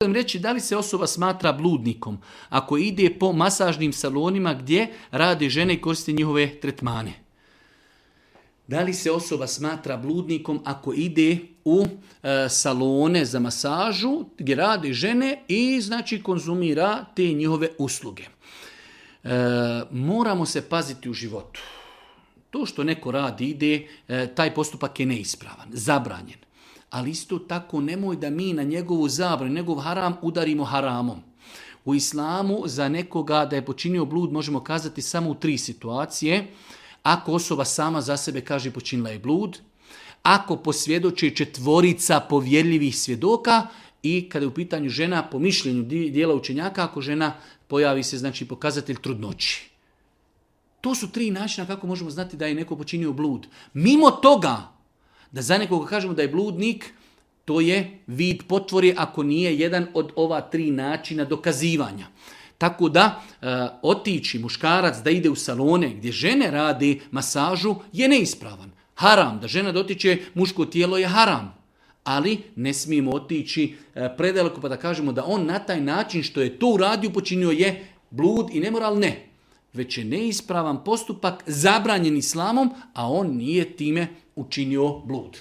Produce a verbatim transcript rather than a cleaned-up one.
Reći da li se osoba smatra bludnikom ako ide po masažnim salonima gdje rade žene i koriste njihove tretmane. Da li se osoba smatra bludnikom ako ide u e, salone za masažu gdje rade žene i znači konzumira te njihove usluge. E, moramo se paziti u životu. To što neko radi ide, e, taj postupak je neispravan, zabranjen. Ali isto tako nemoj da mi na njegovu zabranu, njegov haram udarimo haramom. U islamu za nekoga da je počinio blud možemo kazati samo u tri situacije. Ako osoba sama za sebe kaže počinila je blud, ako posvjedoči četvorica povjerljivih svjedoka i kada je u pitanju žena po mišljenju dijela učenjaka, ako žena pojavi se znači pokazatelj trudnoći. To su tri načina kako možemo znati da je neko počinio blud. Mimo toga, da za nekoga kažemo da je bludnik, to je vid potvore ako nije jedan od ova tri načina dokazivanja. Tako da e, otići muškarac da ide u salone gdje žene radi masažu je neispravan. Haram, da žena dotiče muško tijelo je haram. Ali ne smijemo otići e, predaleko pa da kažemo da on na taj način što je to uradio počinio je blud i nemoral, ne. Već je neispravan postupak zabranjen islamom, a on nije time učinio blud.